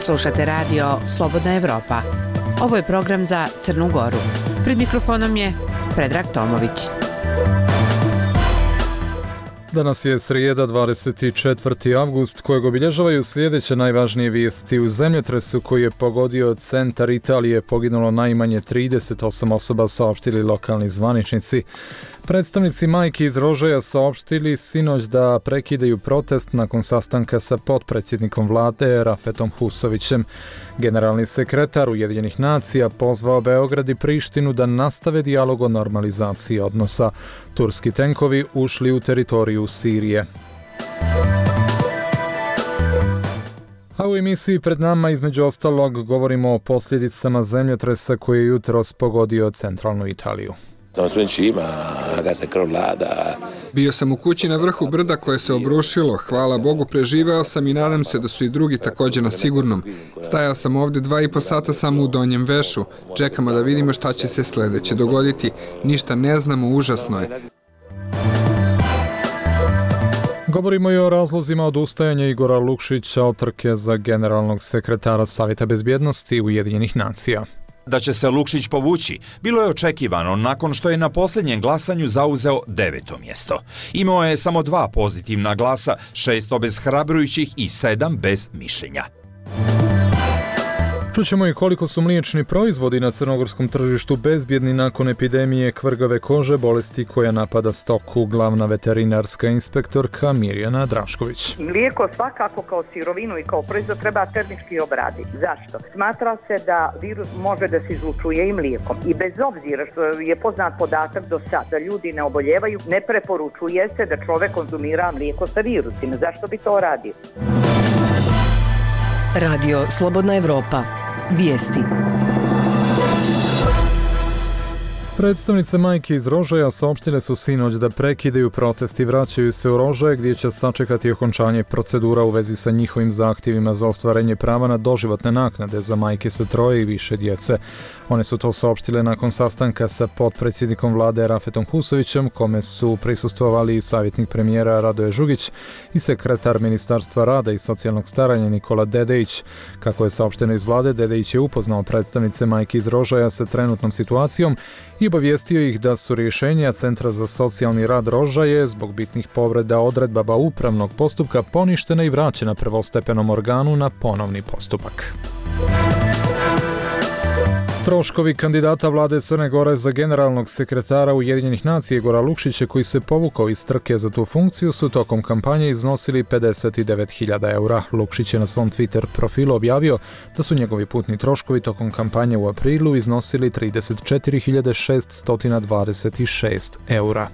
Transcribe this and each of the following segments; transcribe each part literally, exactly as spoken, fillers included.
Slušate radio Slobodna Evropa. Ovo je program za Crnu Goru. Pred mikrofonom je Predrag Tomović. Danas je srijeda, dvadeset četvrti avgust, kojeg obilježavaju sljedeće najvažnije vijesti. U zemljotresu koji je pogodio centar Italije poginulo najmanje trideset osam osoba, saopštili lokalni zvaničnici. Predstavnici majki iz Rožaja saopštili sinoć da prekidaju protest nakon sastanka sa potpredsjednikom vlade Rafetom Husovićem. Generalni sekretar Ujedinjenih nacija pozvao Beograd i Prištinu da nastave dijalog o normalizaciji odnosa. Turski tenkovi ušli u teritoriju Sirije. A u emisiji pred nama između ostalog govorimo o posljedicama zemljotresa koji je jutros pogodio centralnu Italiju. Bio sam u kući na vrhu brda koje se obrušilo, hvala Bogu preživeo sam i nadam se da su i drugi također na sigurnom. Stajao sam ovdje dva i po sata samo u donjem vešu, čekamo da vidimo šta će se sljedeće dogoditi, ništa ne znamo, užasno je. Govorimo i o razlozima odustajanja Igora Lukšića od trke za generalnog sekretara Savjeta bezbjednosti Ujedinjenih nacija. Da će se Lukšić povući, bilo je očekivano nakon što je na posljednjem glasanju zauzeo deveto mjesto. Imao je samo dva pozitivna glasa, šest obeshrabrujućih i sedam bez mišljenja. Čućemo i koliko su mliječni proizvodi na crnogorskom tržištu bezbjedni nakon epidemije kvrgave kože, bolesti koja napada stoku. Glavna veterinarska inspektorka Mirjana Drašković. Mlijeko svakako kao sirovinu i kao proizvod treba termički obraditi. Zašto? Smatra se da virus može da se izlučuje i mlijekom. I bez obzira što je poznat podatak do sad da ljudi ne oboljevaju, ne preporučuje se da čovjek konzumira mlijeko sa virusima. Zašto bi to radio? Radio Slobodna Evropa. Vijesti. Predstavnice majke iz Rožaja saopštile su sinoć da prekidaju protest i vraćaju se u Rožaje gdje će sačekati okončanje procedura u vezi sa njihovim zahtjevima za ostvarenje prava na doživotne naknade za majke sa troje i više djece. One su to saopštile nakon sastanka sa potpredsjednikom vlade Rafetom Husovićem, kome su prisustvovali i savjetnik premijera Radoje Žugić i sekretar Ministarstva rada i socijalnog staranja Nikola Dedejić. Kako je saopšteno iz vlade, Dedejić je upoznao predstavnice majke iz Rožaja sa trenutnom situacijom i obavijestio ih da su rješenja Centra za socijalni rad Rožaje zbog bitnih povreda odredbama upravnog postupka poništena i vraćena prvostepenom organu na ponovni postupak. Troškovi kandidata vlade Crne Gore za generalnog sekretara Ujedinjenih nacija Igora Lukšića, koji se povukao iz trke za tu funkciju, su tokom kampanje iznosili pedeset devet hiljada eura. Lukšić je na svom Twitter profilu objavio da su njegovi putni troškovi tokom kampanje u aprilu iznosili trideset četiri hiljade šeststo dvadeset šest eura.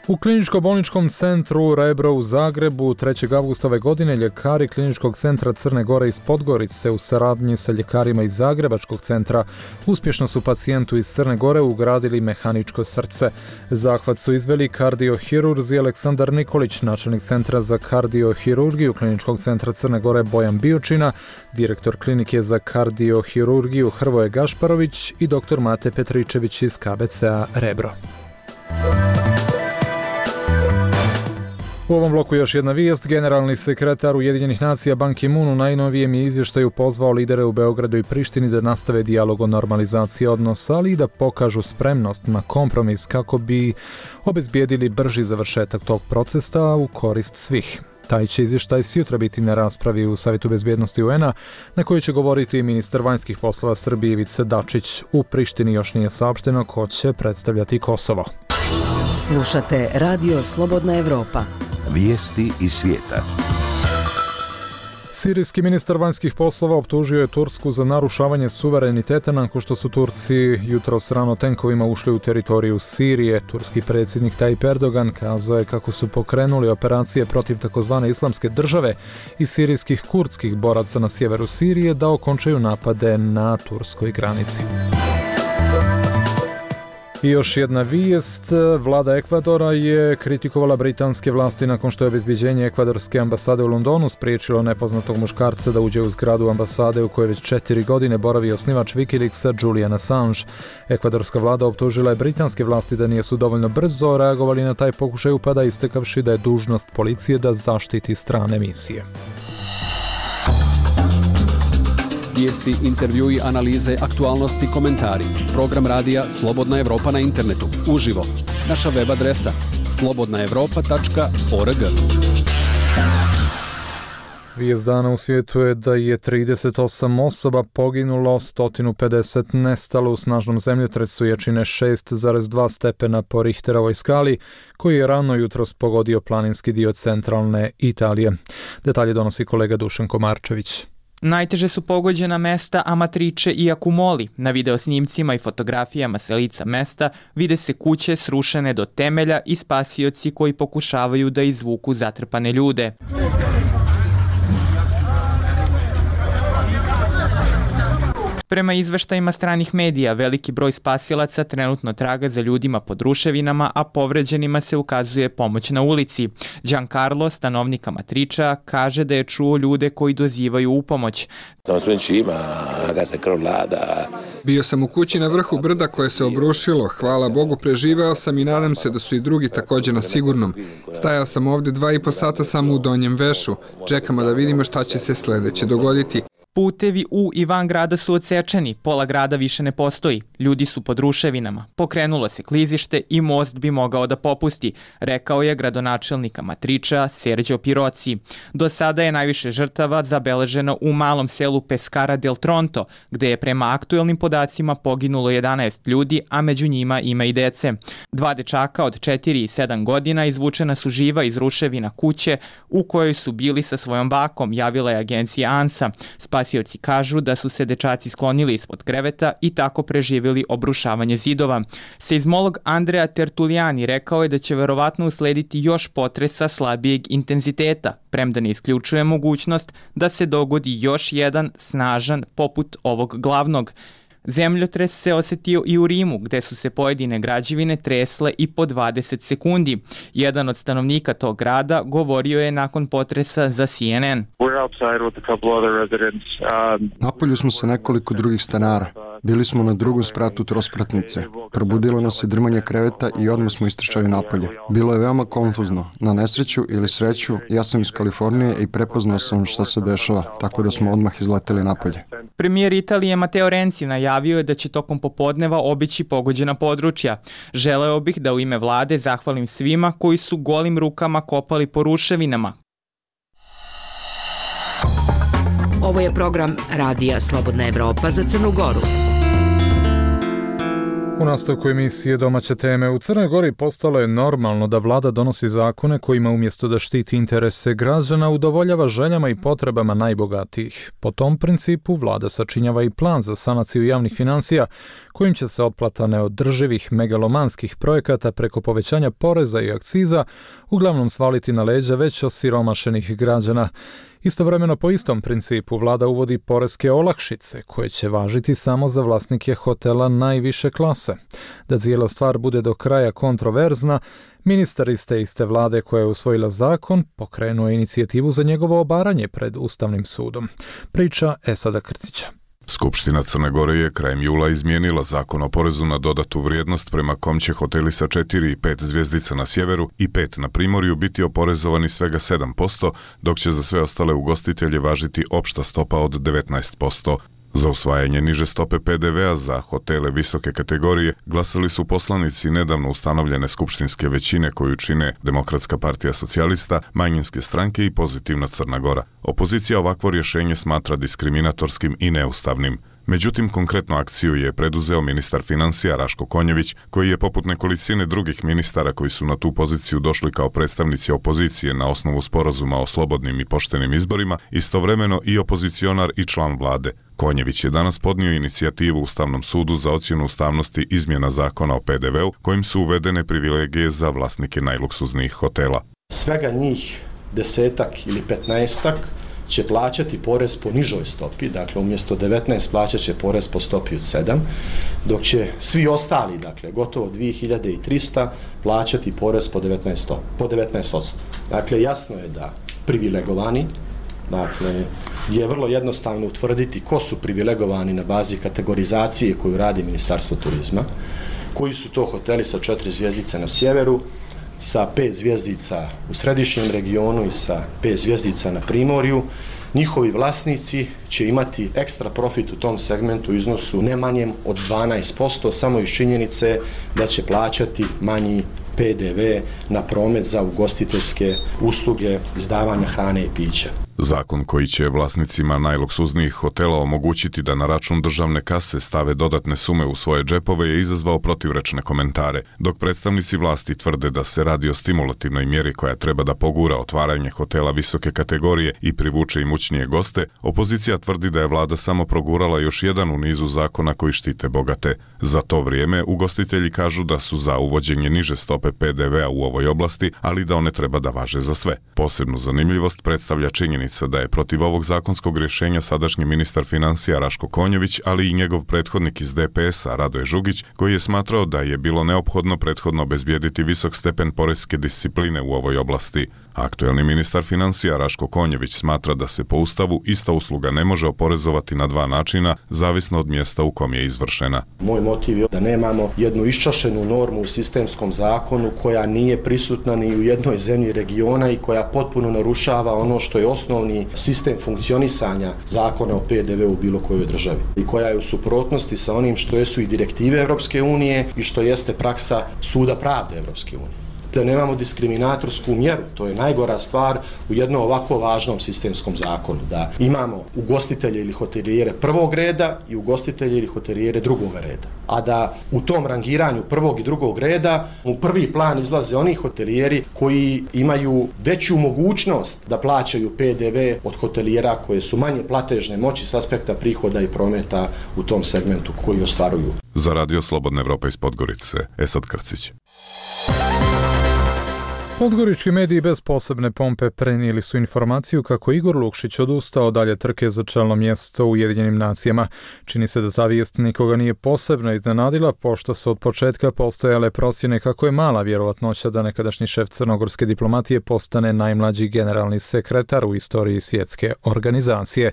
U kliničko-bolničkom centru Rebro u Zagrebu trećeg avgusta ove godine ljekari kliničkog centra Crne Gore iz Podgorice u saradnji sa ljekarima iz Zagrebačkog centra uspješno su pacijentu iz Crne Gore ugradili mehaničko srce. Zahvat su izveli kardiohirurzi Aleksandar Nikolić, načelnik centra za kardiohirurgiju kliničkog centra Crne Gore Bojan Biočina, direktor klinike za kardiohirurgiju Hrvoje Gašparović i doktor Mate Petričević iz K B C-a Rebro. U ovom bloku još jedna vijest. Generalni sekretar Ujedinjenih nacija Ban Ki-moon u najnovijem je izvještaju pozvao lidere u Beogradu i Prištini da nastave dijalog o normalizaciji odnosa, ali i da pokažu spremnost na kompromis kako bi obezbijedili brži završetak tog procesa u korist svih. Taj će izvještaj sutra biti na raspravi u Savjetu bezbjednosti U N-a, na kojoj će govoriti ministar vanjskih poslova Srbije Ivica Dačić. U Prištini još nije saopšteno ko će predstavljati Kosovo. Slušate Radio Slobodna Evropa. Vijesti iz svijeta. Sirijski ministar vanjskih poslova optužio je Tursku za narušavanje suvereniteta nakon što su Turci jutros rano tenkovima ušli u teritoriju Sirije. Turski predsjednik Tayyip Erdogan kazao je kako su pokrenuli operacije protiv takozvane islamske države i sirijskih kurdskih boraca na sjeveru Sirije da okončaju napade na turskoj granici. I još jedna vijest. Vlada Ekvadora je kritikovala britanske vlasti nakon što je obezbeđenje ekvadorske ambasade u Londonu spriječilo nepoznatog muškarca da uđe u zgradu ambasade u kojoj već četiri godine boravi osnivač Wikileaksa Julian Assange. Ekvadorska vlada optužila je britanske vlasti da nisu dovoljno brzo reagovali na taj pokušaj upada, istekavši da je dužnost policije da zaštiti strane misije. Vijesti, intervjui, analize, aktualnosti, komentari. Program radija Slobodna Evropa na internetu. Uživo. Naša web adresa slobodna evropa tačka org. Vijest dana u svijetu je da je trideset osam osoba poginulo, sto pedeset nestalo u snažnom zemljotresu jačine šest zarez dva stepena po Richterovoj skali, koji je rano jutros pogodio planinski dio centralne Italije. Detalje donosi kolega Dušan Komarčević. Najteže su pogođena mesta Amatrice i Accumoli. Na videosnimcima i fotografijama sa lica mesta vide se kuće srušene do temelja i spasioci koji pokušavaju da izvuku zatrpane ljude. Prema izveštajima stranih medija, veliki broj spasilaca trenutno traga za ljudima pod ruševinama, a povređenima se ukazuje pomoć na ulici. Giancarlo, stanovnik Amatricea, kaže da je čuo ljude koji dozivaju u pomoć. Bio sam u kući na vrhu brda koje se obrušilo. Hvala Bogu, preživeo sam i nadam se da su i drugi također na sigurnom. Stajao sam ovdje dva i po sata samo u donjem vešu. Čekamo da vidimo šta će se sljedeće dogoditi. Putevi u i van grada su odsečeni, pola grada više ne postoji, ljudi su pod ruševinama, pokrenulo se klizište i most bi mogao da popusti, rekao je gradonačelnik Amatricea Sergio Pirozzi. Do sada je najviše žrtava zabeleženo u malom selu Pescara del Tronto, gde je prema aktuelnim podacima poginulo jedanaest ljudi, a među njima ima i dece. Dva dečaka od četiri i sedam godina izvučena su živa iz ruševina kuće u kojoj su bili sa svojom bakom, javila je agencija ANSA. Spasioci kažu da su se dečaci sklonili ispod kreveta i tako preživjeli obrušavanje zidova. Seizmolog Andrea Tertuliani rekao je da će verovatno uslediti još potresa slabijeg intenziteta, premda ne isključuje mogućnost da se dogodi još jedan snažan poput ovog glavnog. Zemljotres se osetio i u Rimu, gde su se pojedine građevine tresle i po dvadeset sekundi. Jedan od stanovnika tog grada govorio je nakon potresa za C N N. Napolju smo sa nekoliko drugih stanara. Bili smo na drugom spratu trospratnice. Probudilo nas je drmanje kreveta i odmah smo istrčali napolje. Bilo je veoma konfuzno. Na nesreću ili sreću, ja sam iz Kalifornije i prepoznao sam šta se dešava, tako da smo odmah izleteli napolje. Premijer Italije Matteo Renzi najavio je da će tokom popodneva obići pogođena područja. Želeo bih da u ime vlade zahvalim svima koji su golim rukama kopali po ruševinama. Ovo je program Radija Slobodna Evropa za Crnu Goru. U nastavku emisije Domaće teme u Crnoj Gori postalo je normalno da vlada donosi zakone kojima umjesto da štiti interese građana udovoljava željama i potrebama najbogatijih. Po tom principu vlada sačinjava i plan za sanaciju javnih financija kojim će se otplata neodrživih megalomanskih projekata preko povećanja poreza i akciza uglavnom svaliti na leđa već osiromašenih građana. Istovremeno po istom principu vlada uvodi poreske olakšice koje će važiti samo za vlasnike hotela najviše klase. Da cijela stvar bude do kraja kontroverzna, ministar iz te iste vlade koja je usvojila zakon pokrenuo inicijativu za njegovo obaranje pred Ustavnim sudom. Priča Esada Krcića. Skupština Crne Gore je krajem jula izmijenila zakon o porezu na dodatu vrijednost prema kom će hoteli sa četiri i pet zvjezdica na sjeveru i pet na primorju biti oporezovani svega sedam posto, dok će za sve ostale ugostitelje važiti opšta stopa od devetnaest posto. Za usvajanje niže stope P D V-a za hotele visoke kategorije glasali su poslanici nedavno ustanovljene skupštinske većine koju čine Demokratska partija socijalista, manjinske stranke i Pozitivna Crna Gora. Opozicija ovakvo rješenje smatra diskriminatorskim i neustavnim. Međutim, konkretnu akciju je preduzeo ministar financija Raško Konjević, koji je poput nekolicine drugih ministara koji su na tu poziciju došli kao predstavnici opozicije na osnovu sporazuma o slobodnim i poštenim izborima, istovremeno i opozicionar i član vlade. Konjević je danas podnio inicijativu Ustavnom sudu za ocjenu ustavnosti izmjena zakona o P D V-u, kojim su uvedene privilegije za vlasnike najluksuznijih hotela. Svega njih desetak ili petnaestak će plaćati porez po nižoj stopi, dakle umjesto devetnaest plaćat će porez po stopi od sedam, dok će svi ostali, dakle gotovo dvije hiljade trista plaćati porez po devetnaest posto. Dakle, jasno je da privilegovani, dakle, je vrlo jednostavno utvrditi ko su privilegovani na bazi kategorizacije koju radi Ministarstvo turizma, koji su to hoteli sa četiri zvjezdice na sjeveru, sa pet zvjezdica u središnjem regionu i sa pet zvjezdica na primorju. njihovi vlasnici će imati ekstra profit u tom segmentu u iznosu ne manjem od dvanaest posto samo iz činjenice da će plaćati manji P D V na promet za ugostiteljske usluge izdavanja hrane i pića. Zakon koji će vlasnicima najluksuznijih hotela omogućiti da na račun državne kase stave dodatne sume u svoje džepove je izazvao protivrečne komentare, dok predstavnici vlasti tvrde da se radi o stimulativnoj mjeri koja treba da pogura otvaranje hotela visoke kategorije i privuče imućnije goste, opozicija tvrdi da je vlada samo progurala još jedan u nizu zakona koji štite bogate. Za to vrijeme ugostitelji kažu da su za uvođenje niže stope P D V-a u ovoj oblasti, ali da one treba da važe za sve. Posebnu zanimljivost predstavlja činjenica da je protiv ovog zakonskog rješenja sadašnji ministar financija Raško Konjović, ali i njegov prethodnik iz D P S-a Radoje Žugić, koji je smatrao da je bilo neophodno prethodno obezbijediti visok stepen poreske discipline u ovoj oblasti. Aktuelni ministar financija Raško Konjović smatra da se po Ustavu ista usluga ne može oporezovati na dva načina, zavisno od mjesta u kom je izvršena. Moj motiv je da nemamo jednu iščašenu normu u sistemskom zakonu koja nije prisutna ni u jednoj zemlji regiona i koja potpuno narušava ono što je osnovni sistem funkcionisanja zakona o P D V u bilo kojoj državi i koja je u suprotnosti sa onim što su i direktive Europske unije i što jeste praksa Suda pravde Europske unije. Da nemamo diskriminatorsku mjeru, to je najgora stvar u jednom ovako važnom sistemskom zakonu, da imamo ugostitelje ili hotelijere prvog reda i ugostitelje ili hotelijere drugog reda. A da u tom rangiranju prvog i drugog reda u prvi plan izlaze oni hotelijeri koji imaju veću mogućnost da plaćaju P D V od hotelijera koje su manje platežne moći s aspekta prihoda i prometa u tom segmentu koji ostvaruju. Za Radio Slobodna Evropa iz Podgorice, Esad Krcić. Podgorički mediji bez posebne pompe prenijeli su informaciju kako Igor Lukšić odustao dalje trke za čelno mjesto u Ujedinjenim nacijama. Čini se da ta vijest nikoga nije posebno iznenadila, pošto su od početka postojale procjene kako je mala vjerovatnoća da nekadašnji šef crnogorske diplomatije postane najmlađi generalni sekretar u istoriji svjetske organizacije.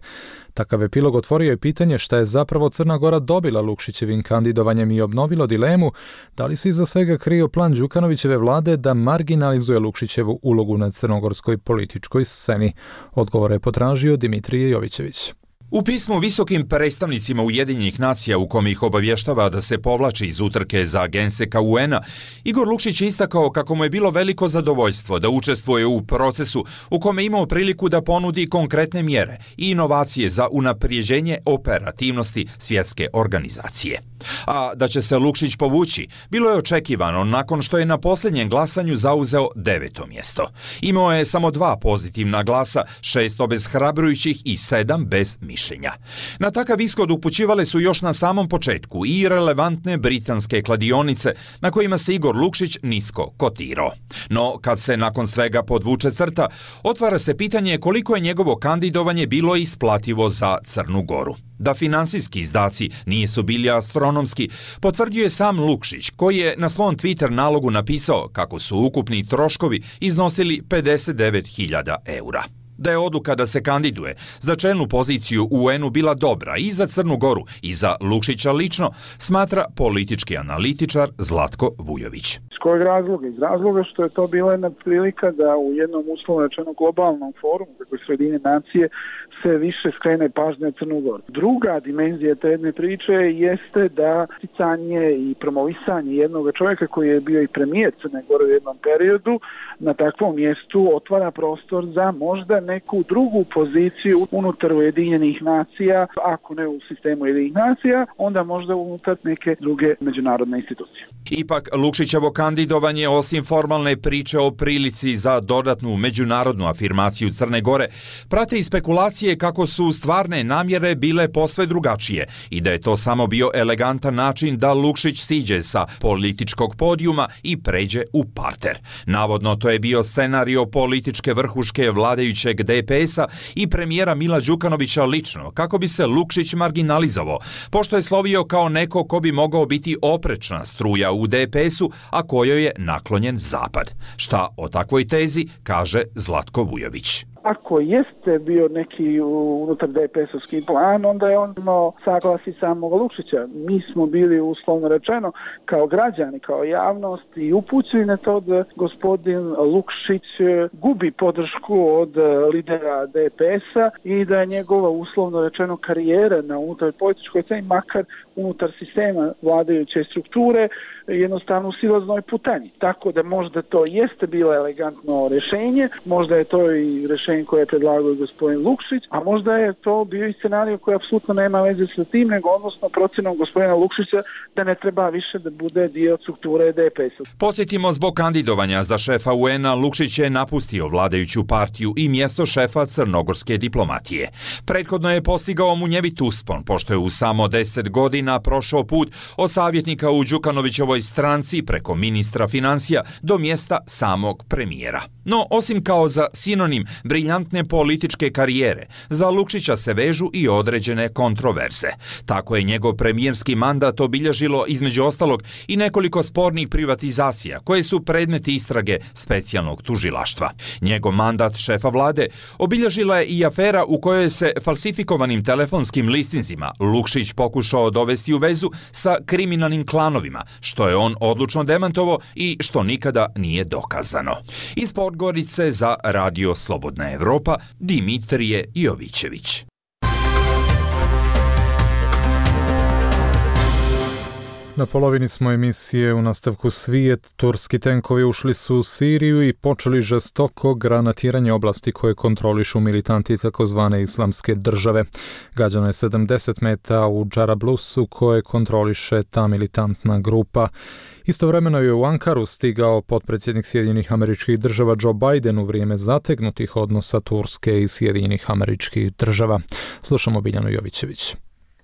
Takav epilog otvorio je pitanje šta je zapravo Crna Gora dobila Lukšićevim kandidovanjem i obnovilo dilemu da li se iza svega krio plan Đukanovićeve vlade da marginalizuje Lukšićevu ulogu na crnogorskoj političkoj sceni. Odgovor je potražio Dimitrije Jovićević. U pismu visokim predstavnicima Ujedinjenih nacija u kome ih obavještava da se povlači iz utrke za genseka U N-a, Igor Lukšić je istakao kako mu je bilo veliko zadovoljstvo da učestvuje u procesu u kome imao priliku da ponudi konkretne mjere i inovacije za unaprijeđenje operativnosti svjetske organizacije. A da će se Lukšić povući, bilo je očekivano nakon što je na posljednjem glasanju zauzeo deveto mjesto. Imao je samo dva pozitivna glasa, šest obezhrabrujućih i sedam bez mišljenja. Na takav ishod upućivale su još na samom početku i relevantne britanske kladionice na kojima se Igor Lukšić nisko kotirao. No, kad se nakon svega podvuče crta, otvara se pitanje koliko je njegovo kandidovanje bilo isplativo za Crnu Goru. Da finansijski izdaci nisu bili astronomski, potvrdio je sam Lukšić, koji je na svom Twitter nalogu napisao kako su ukupni troškovi iznosili pedeset devet hiljada eura. Da je odluka da se kandiduje za čelnu poziciju u U N-u bila dobra i za Crnu Goru i za Lukšića lično, smatra politički analitičar Zlatko Vujović. Iz kojeg razloga? Iz razloga što je to bila jedna prilika da u jednom uslovno rečeno globalnom forumu, kako je Sjedinjene nacije, se više skrene pažnja na Crnu Goru. Druga dimenzija te jedne priče jeste da isticanje i promovisanje jednog čovjeka koji je bio i premijer Crne Gore u jednom periodu na takvom mjestu otvara prostor za možda neku drugu poziciju unutar Ujedinjenih nacija, ako ne u sistemu Ujedinjenih nacija, onda možda unutar neke druge međunarodne institucije. Ipak, Lukšićevo kandidovanje, osim formalne priče o prilici za dodatnu međunarodnu afirmaciju Crne Gore, prate i spekulacije kako su stvarne namjere bile posve drugačije i da je to samo bio elegantan način da Lukšić siđe sa političkog podijuma i pređe u parter. Navodno, to je bio scenario političke vrhuške vladajućeg D P S-a i premijera Mila Đukanovića lično, kako bi se Lukšić marginalizovao, pošto je slovio kao neko ko bi mogao biti oprečna struja u D P S-u, a kojoj je naklonjen Zapad. Šta o takvoj tezi kaže Zlatko Vujović? Ako jeste bio neki unutar D P S-ovski plan, onda je on imao saglasi samog Lukšića. Mi smo bili, uslovno rečeno, kao građani, kao javnost i upućeni na to da gospodin Lukšić gubi podršku od lidera D P S-a i da je njegova, uslovno rečeno, karijera na unutar političkoj sceni, makar unutar sistema vladajuće strukture, jednostavno u silaznoj putanji. Tako da možda to jeste bilo elegantno rješenje, možda je to i rješenje koje je predlagao gospodin Lukšić, a možda je to bio i scenarij koji apsolutno nema veze sa tim, nego odnosno procjenom gospodina Lukšića da ne treba više da bude dio strukture D P S-a. Podsjetimo, zbog kandidovanja za šefa U N-a, Lukšić je napustio vladajuću partiju i mjesto šefa crnogorske diplomatije. Prethodno je postigao munjevit uspon, pošto je u samo deset godina prošao put od savjetnika u Đukanovićevoj stranci preko ministra financija do mjesta samog premijera. No, osim kao za sinonim briljantne političke karijere, za Lukšića se vežu i određene kontroverze. Tako je njegov premijerski mandat obilježilo između ostalog i nekoliko spornih privatizacija koje su predmeti istrage specijalnog tužilaštva. Njegov mandat šefa vlade obilježila je i afera u kojoj se falsifikovanim telefonskim listinzima Lukšić pokušao dovesti u vezu sa kriminalnim klanovima, što je on odlučno demantovao i što nikada nije dokazano. Iz Podgorice za Radio Slobodna Evropa, Dimitrije Jovićević. Na polovini smo emisije. U nastavku svijet. Turski tenkovi ušli su u Siriju i počeli žestoko granatiranje oblasti koje kontrolišu militanti takozvane islamske države. Gađano je sedamdeset meta u Džarablusu koje kontroliše ta militantna grupa. Istovremeno je u Ankaru stigao potpredsjednik Sjedinjenih Američkih Država Joe Biden u vrijeme zategnutih odnosa Turske i Sjedinjenih Američkih Država. Slušamo Biljanu Jovićević.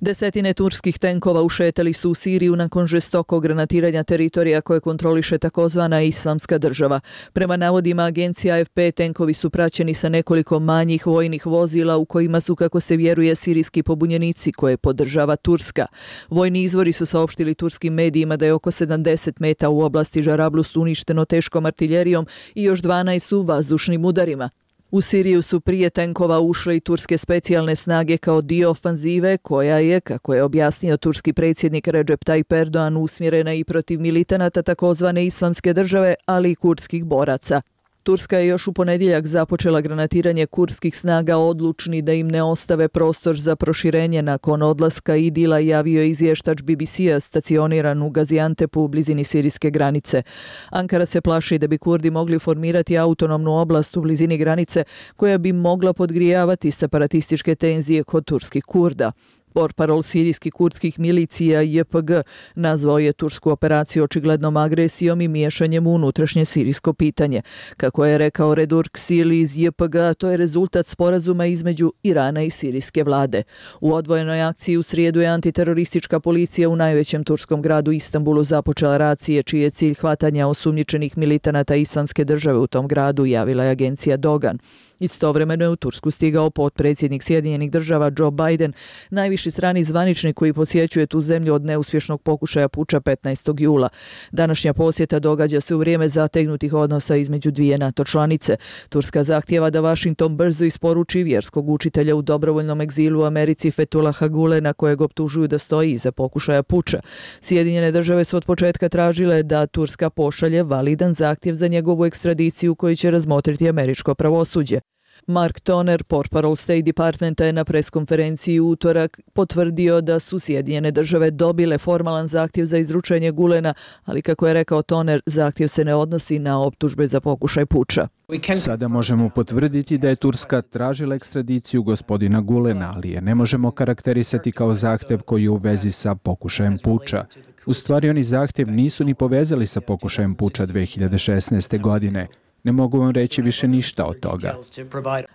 Desetine turskih tenkova ušetali su u Siriju nakon žestokog granatiranja teritorija koje kontroliše takozvana islamska država. Prema navodima agencije A F P, tenkovi su praćeni sa nekoliko manjih vojnih vozila u kojima su, kako se vjeruje, sirijski pobunjenici koje podržava Turska. Vojni izvori su saopštili turskim medijima da je oko sedamdeset meta u oblasti Džarablus uništeno teškom artiljerijom i još dvanaest su vazdušnim udarima. U Siriju su prije tenkova ušle i turske specijalne snage kao dio ofanzive koja je, kako je objasnio turski predsjednik Recep Tayyip Erdogan, usmjerena i protiv militanata takozvane islamske države, ali i kurdskih boraca. Turska je još u ponedjeljak započela granatiranje kurdskih snaga, odlučni da im ne ostave prostor za proširenje nakon odlaska Idila, javio je izvještač B B C-a stacioniran u Gaziantepu u blizini sirijske granice. Ankara se plaši da bi Kurdi mogli formirati autonomnu oblast u blizini granice koja bi mogla podgrijavati separatističke tenzije kod turskih Kurda. Portparol sirijskih kurdskih milicija J P G nazvao je tursku operaciju očiglednom agresijom i miješanjem u unutrašnje sirijsko pitanje. Kako je rekao Redurk Sili iz J P G, to je rezultat sporazuma između Irana i sirijske vlade. U odvojenoj akciji u srijedu je antiteroristička policija u najvećem turskom gradu Istanbulu započela racije čiji je cilj hvatanja osumnjičenih militanata islamske države u tom gradu, javila je agencija Dogan. Istovremeno je u Tursku stigao potpredsjednik Sjedinjenih Država Joe Biden, najviši strani zvaničnik koji posjećuje tu zemlju od neuspješnog pokušaja puča petnaestog jula. Današnja posjeta događa se u vrijeme zategnutih odnosa između dvije NATO članice. Turska zahtijeva da Washington brzo isporuči vjerskog učitelja u dobrovoljnom egzilu u Americi Fethullaha Gulena, kojeg optužuju da stoji iza pokušaja puča. Sjedinjene Države su od početka tražile da Turska pošalje validan zahtjev za njegovu ekstradiciju koji će razmotriti američko pravosuđe. Mark Toner, portparol State Departmenta, je na preskonferenciji u utorak potvrdio da su Sjedinjene Države dobile formalan zahtjev za izručenje Gulena, ali kako je rekao Toner, zahtjev se ne odnosi na optužbe za pokušaj puča. Sada možemo potvrditi da je Turska tražila ekstradiciju gospodina Gulena, ali je ne možemo karakterisati kao zahtjev koji je u vezi sa pokušajem puča. U stvari, oni zahtjev nisu ni povezali sa pokušajem puča dve hiljade šesnaeste. godine. Ne mogu vam reći više ništa od toga,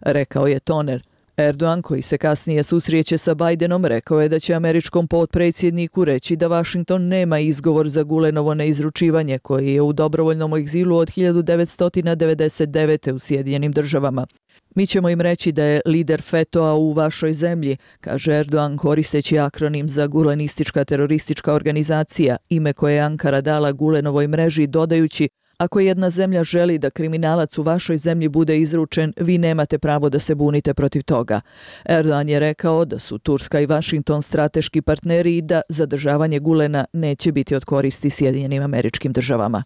rekao je Toner. Erdogan, koji se kasnije susreće sa Bidenom, rekao je da će američkom potpredsjedniku reći da Washington nema izgovor za Gulenovo neizručivanje, koji je u dobrovoljnom egzilu od hiljadu devetsto devedeset devete. u Sjedinjenim Državama. Mi ćemo im reći da je lider Fetoa u vašoj zemlji, kaže Erdogan koristeći akronim za Gulenistička teroristička organizacija, ime koje je Ankara dala Gulenovoj mreži, dodajući: Ako jedna zemlja želi da kriminalac u vašoj zemlji bude izručen, vi nemate pravo da se bunite protiv toga. Erdogan je rekao da su Turska i Vašington strateški partneri i da zadržavanje Gulena neće biti od koristi Sjedinjenim Američkim Državama.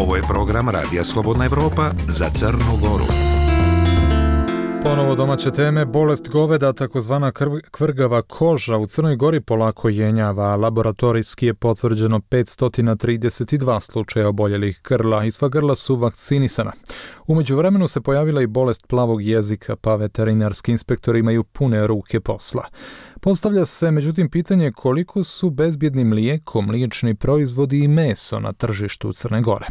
Ovo je program Radija Slobodna Evropa za Crnu Goru. Ponovo domaće teme, bolest goveda, takozvana kvrgava koža, u Crnoj Gori polako jenjava. Laboratorijski je potvrđeno petsto trideset dva slučaja oboljelih grla i sva grla su vakcinisana. U međuvremenu se pojavila i bolest plavog jezika, pa veterinarski inspektori imaju pune ruke posla. Postavlja se međutim pitanje koliko su bezbjedni mlijeko, mliječni proizvodi i meso na tržištu Crne Gore.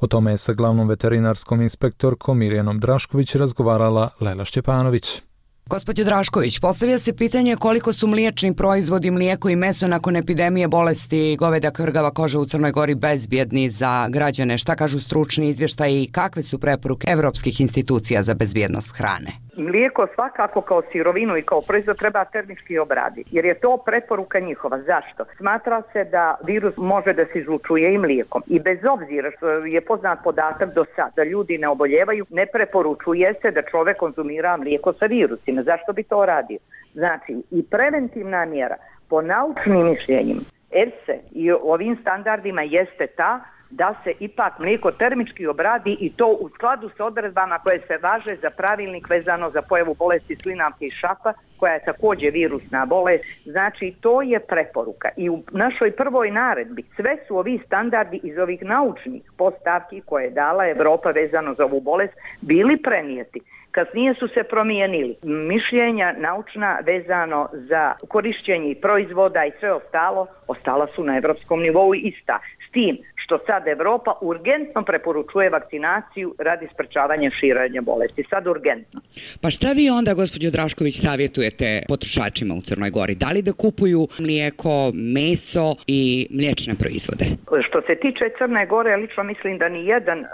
O tome je sa glavnom veterinarskom inspektorkom Mirjanom Drašković razgovarala Lela Šćepanović. Gospođo Drašković, postavlja se pitanje koliko su mliječni proizvodi, mlijeko i meso nakon epidemije bolesti goveda kvrgava koža u Crnoj Gori bezbjedni za građane. Šta kažu stručni izvještaji i kakve su preporuke evropskih institucija za bezbjednost hrane? Mlijeko svakako kao sirovinu i kao proizvod treba termički obraditi, jer je to preporuka njihova. Zašto? Smatra se da virus može da se izlučuje i mlijekom. I bez obzira što je poznat podatak do sad da ljudi ne oboljevaju, ne preporučuje se da čovjek konzumira mlijeko sa virusima. Zašto bi to radio? Znači, i preventivna mjera po naučnim mišljenjima E F S A i ovim standardima jeste ta da se ipak mlijeko termički obradi i to u skladu sa odredbama koje se važe za pravilnik vezano za pojavu bolesti slinavke i šapa, koja je također virusna bolest. Znači, to je preporuka. I u našoj prvoj naredbi sve su ovi standardi iz ovih naučnih postavki koje je dala Evropa vezano za ovu bolest bili prenijeti. Kasnije su se promijenili mišljenja naučna vezano za korišćenje proizvoda i sve ostalo, ostala su na evropskom nivou ista. S tim što sad Evropa urgentno preporučuje vakcinaciju radi sprečavanja širenja bolesti. Sad urgentno. Pa šta vi onda, gospođo Drašković, savjetujete potrošačima u Crnoj Gori? Da li da kupuju mlijeko, meso i mliječne proizvode? Što se tiče Crne Gore, lično mislim da ni jedan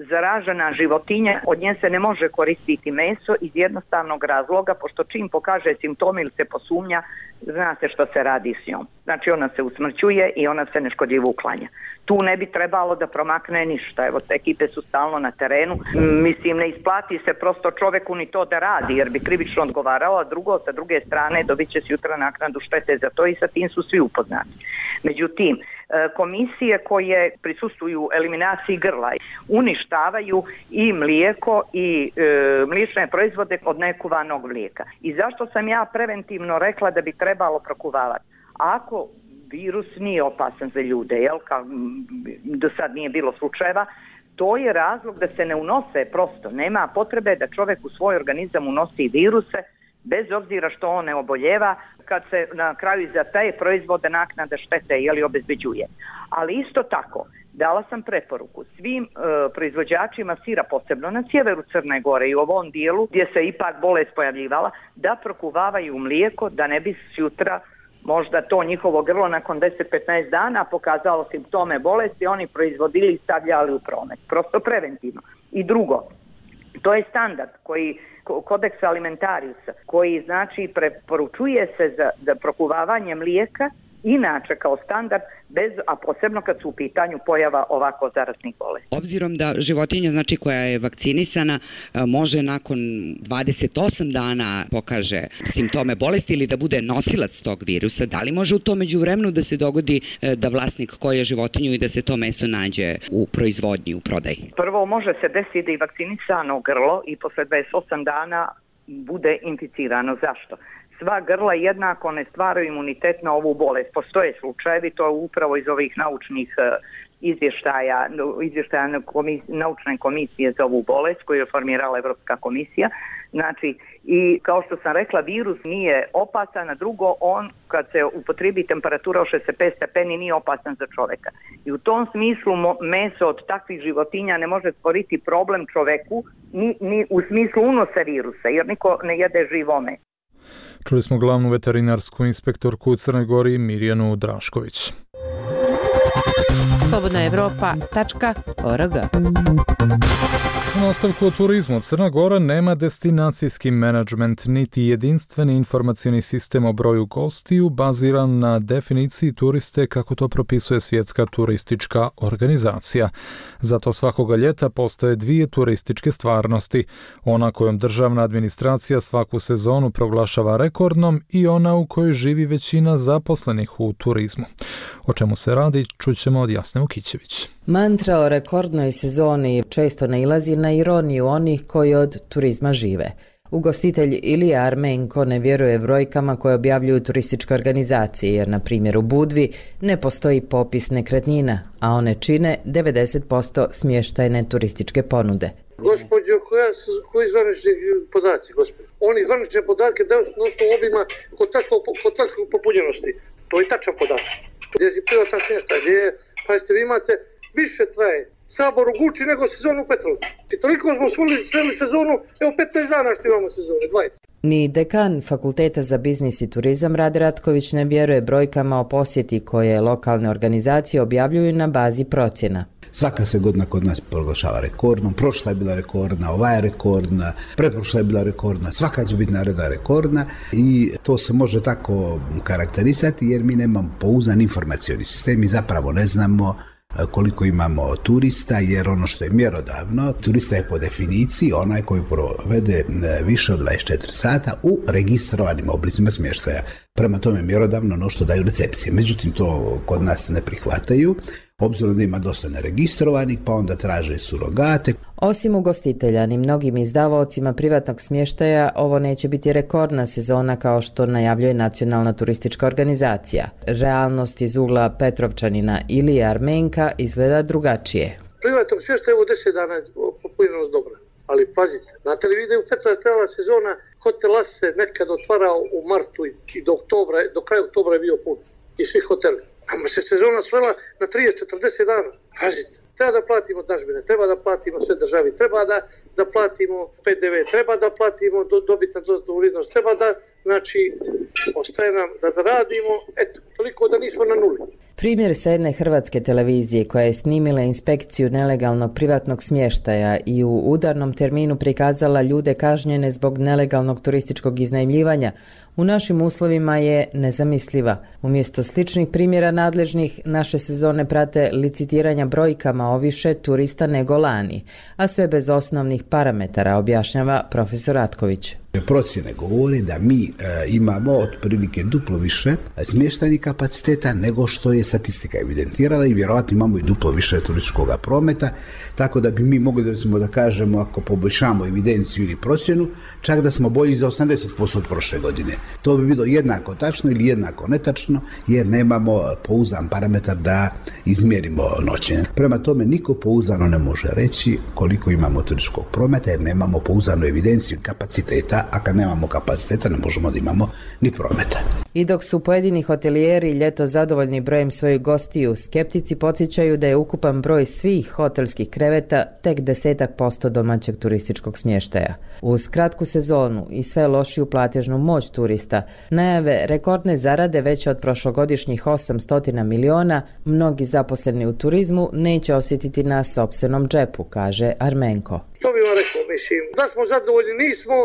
zaražena životinja od nje se ne može koristiti meso iz jednostavnog razloga, pošto čim pokaže simptome ili se posumnja, zna se što se radi s njom. Znači ona se usmrćuje i ona se neškodljivo uklanja. Tu ne bi trebalo da promakne ništa. Evo, te ekipe su stalno na terenu. Mislim, ne isplati se prosto čoveku ni to da radi, jer bi krivično odgovarao, a drugo, sa druge strane, dobit će se jutra naknadu štete za to i sa tim su svi upoznati. Međutim, komisije koje prisustuju eliminaciji grla uništavaju i mlijeko i e, mliječne proizvode od nekuvanog mlijeka. I zašto sam ja preventivno rekla da bi trebalo prokuvavati? Ako virus nije opasan za ljude, jel, kao do sad nije bilo slučajeva, to je razlog da se ne unose prosto. Nema potrebe da čovjek u svoj organizam unosi viruse, bez obzira što on ne oboljeva, kad se na kraju za te proizvode naknada štete jeli obezbeđuje. Ali isto tako, dala sam preporuku svim e, proizvođačima sira, posebno na sjeveru Crne Gore i u ovom dijelu gdje se ipak bolest pojavljivala, da prokuvavaju mlijeko, da ne bi sutra možda to njihovo grlo nakon deset do petnaest dana pokazalo simptome bolesti, oni proizvodili i stavljali u promet. Prosto preventivno. I drugo, to je standard koji kodeks alimentariusa, koji znači preporučuje se za, za prokuvavanje mlijeka inače kao standard, bez, a posebno kad su u pitanju pojava ovako zaraznih bolesti. Obzirom da životinja, znači koja je vakcinisana, može nakon dvadeset osam dana pokaže simptome bolesti ili da bude nosilac tog virusa, da li može u tom međuvremenu da se dogodi da vlasnik koje životinju i da se to meso nađe u proizvodnji, u prodaji? Prvo, može se desiti da i vakcinisano grlo i posle dvadeset osam dana bude inficirano. Zašto? Sva grla jednako ne stvaraju imunitet na ovu bolest. Postoje slučajevi, to je upravo iz ovih naučnih izvještaja, izvještaja naučne komisije za ovu bolest koju je formirala Evropska komisija. Znači, i kao što sam rekla, virus nije opasan, a drugo, on kad se upotrebi temperatura od šezdeset pet stepeni nije opasan za čoveka. I u tom smislu meso od takvih životinja ne može stvoriti problem čoveku ni, ni u smislu unosa virusa, jer niko ne jede živo meso. Čuli smo glavnu veterinarsku inspektorku u Crnoj Gori Mirjanu Drašković. slobodna evropa tačka org. U nastavku o turizmu, Crna Gora nema destinacijski menadžment niti jedinstveni informacioni sistem o broju gostiju baziran na definiciji turiste kako to propisuje Svjetska turistička organizacija. Zato svakoga ljeta postoje dvije turističke stvarnosti, ona kojom državna administracija svaku sezonu proglašava rekordnom i ona u kojoj živi većina zaposlenih u turizmu. O čemu se radi, čućemo od Jasne Ukićević. Mantra o rekordnoj sezoni često nailazi na ironiju onih koji od turizma žive. Ugostitelj Ilija Armenko ne vjeruje brojkama koje objavljuju turističke organizacije, jer na primjer u Budvi ne postoji popis nekretnina, a one čine devedeset posto smještajne turističke ponude. Gospođo, koja, koji zvanični podaci, gospođo? Oni zvanične podatke daju na osnovu obima hotelskog popunjenosti. To je tačan podatak. Gdje si privatan smještaj, gdje je, pa vi imate, više traje Sabor u Guči nego sezonu u Petrovcu. I toliko smo sveli sezonu, evo petnaest dana što imamo sezone, dvadeset. Ni dekan Fakulteta za biznis i turizam Rade Ratković ne vjeruje brojkama o posjeti koje lokalne organizacije objavljuju na bazi procjena. Svaka se godina kod nas proglašava rekordnom, prošla je bila rekordna, ova je rekordna, pretprošla je bila rekordna, svaka će biti naredna rekordna i to se može tako karakterisati jer mi nemamo pouzdan informacioni sistem, mi zapravo ne znamo koliko imamo turista, jer ono što je mjerodavno, turista je po definiciji onaj koji provede više od dvadeset četiri sata u registrovanim oblicima smještaja. Prema tome mjerodavno ono što daju recepcije. Međutim, to kod nas ne prihvataju, obzirom da ima dosta neregistrovanih, pa onda traže surogate. Osim ugostitelja, ni mnogim izdavaocima privatnog smještaja ovo neće biti rekordna sezona kao što najavljuje Nacionalna turistička organizacija. Realnost iz ugla Petrovčanina ili Armenka izgleda drugačije. Privatnog smještaja evo deset dana je popunjenost dobra. Ali pazite, znate li vi da je u Petrovac trebala sezona, hotel As se nekad otvarao u martu i do, oktobra, do kraja oktobra je bio put i svi hoteli. Nama se sezona svela na trideset do četrdeset dana. Pazite, treba da platimo dažbine, treba da platimo sve državi, treba da, da platimo P D V, treba da platimo do, dobit na dodatnu vrijednost, treba da, znači, ostaje nam da, da radimo, eto, toliko da nismo na nuli. Primjer sa jedne hrvatske televizije koja je snimila inspekciju nelegalnog privatnog smještaja i u udarnom terminu prikazala ljude kažnjene zbog nelegalnog turističkog iznajmljivanja, u našim uslovima je nezamisliva. Umjesto sličnih primjera nadležnih, naše sezone prate licitiranja brojkama o više turista nego lani, a sve bez osnovnih parametara, objašnjava profesor Ratković. Procjene govore da mi e, imamo otprilike duplo više smještajnih kapaciteta nego što je statistika evidentirala i vjerojatno imamo i duplo više turističkog prometa, tako da bi mi mogli recimo da kažemo ako poboljšamo evidenciju ili procjenu, čak da smo bolji za osamdeset posto od prošle godine. To bi bilo jednako tačno ili jednako netačno jer nemamo pouzdan parametar da izmjerimo noćenje. Prema tome niko pouzdano ne može reći koliko imamo turističkog prometa jer nemamo pouzdanu evidenciju kapaciteta, a kad nemamo kapaciteta ne možemo da imamo ni prometa. I dok su pojedini hotelijeri ljeto zadovoljni brojem svojih gostiju, skeptici podsjećaju da je ukupan broj svih hotelskih kreveta tek desetak posto domaćeg turističkog smještaja. Uz kratku sezonu i sve lošiju platežnu moć turista, najave rekordne zarade veće od prošlogodišnjih osamsto miliona, mnogi zaposleni u turizmu neće osjetiti na sopstvenom džepu, kaže Armenko. To bi vam rekao, mislim, da smo zadovoljni nismo,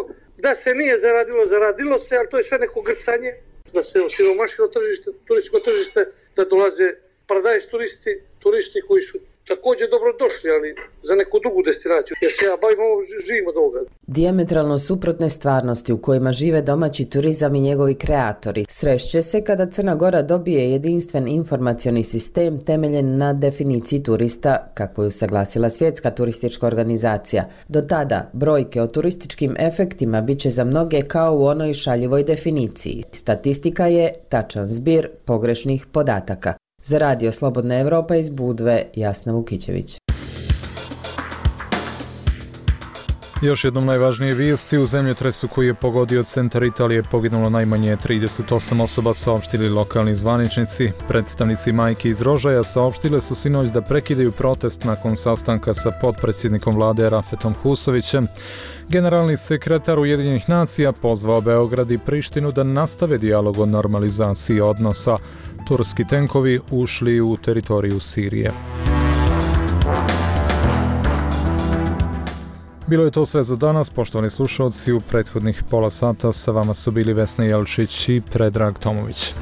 da se nije zaradilo, zaradilo se, ali to je sve neko grcanje, da se osiromašilo tržište, turističko tržište, da dolaze paradajz turisti, turisti koji su također dobro došli, ali za neku drugu destinaciju, jer se ja bavim ovo, živim od ovoga. Dijametralno suprotne stvarnosti u kojima žive domaći turizam i njegovi kreatori srešće se kada Crna Gora dobije jedinstven informacioni sistem temeljen na definiciji turista, kako je usaglasila Svjetska turistička organizacija. Do tada, brojke o turističkim efektima bit će za mnoge kao u onoj šaljivoj definiciji. Statistika je tačan zbir pogrešnih podataka. Za Radio Slobodna Evropa iz Budve, Jasna Vukićević. Još jednom najvažnije vijesti. U zemljotresu koji je pogodio centar Italije poginulo najmanje trideset osam osoba, saopštili lokalni zvaničnici. Predstavnici majki iz Rožaja saopštile su sinoć da prekidaju protest nakon sastanka sa potpredsjednikom vlade Rafetom Husovićem. Generalni sekretar Ujedinjenih nacija pozvao Beograd i Prištinu da nastave dijalog o normalizaciji odnosa. Turski tenkovi ušli u teritoriju Sirije. Bilo je to sve za danas, poštovani slušalci, u prethodnih pola sata sa vama su bili Vesna Jelčić i Predrag Tomović.